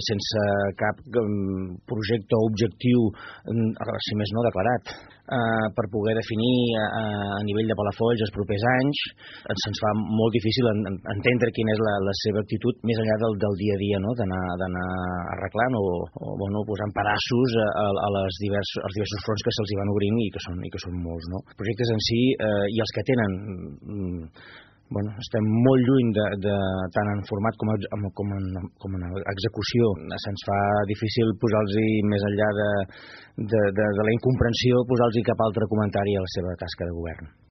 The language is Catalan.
sense cap projecte o objectiu, si més no declarat, per poder definir a nivell de Palafolls els propers anys. Se'ns fa molt difícil entendre quina és la seva actitud més enllà del dia a dia, no? D'anar arreglant o posant pedaços als diversos fronts que se'ls van obrint i que són molts, no? Els projectes en si i els que tenen estem molt lluny tant en format com en execució. Se'ns fa difícil posar-los més enllà de la incomprensió, posar-los cap altre comentari a la seva tasca de govern.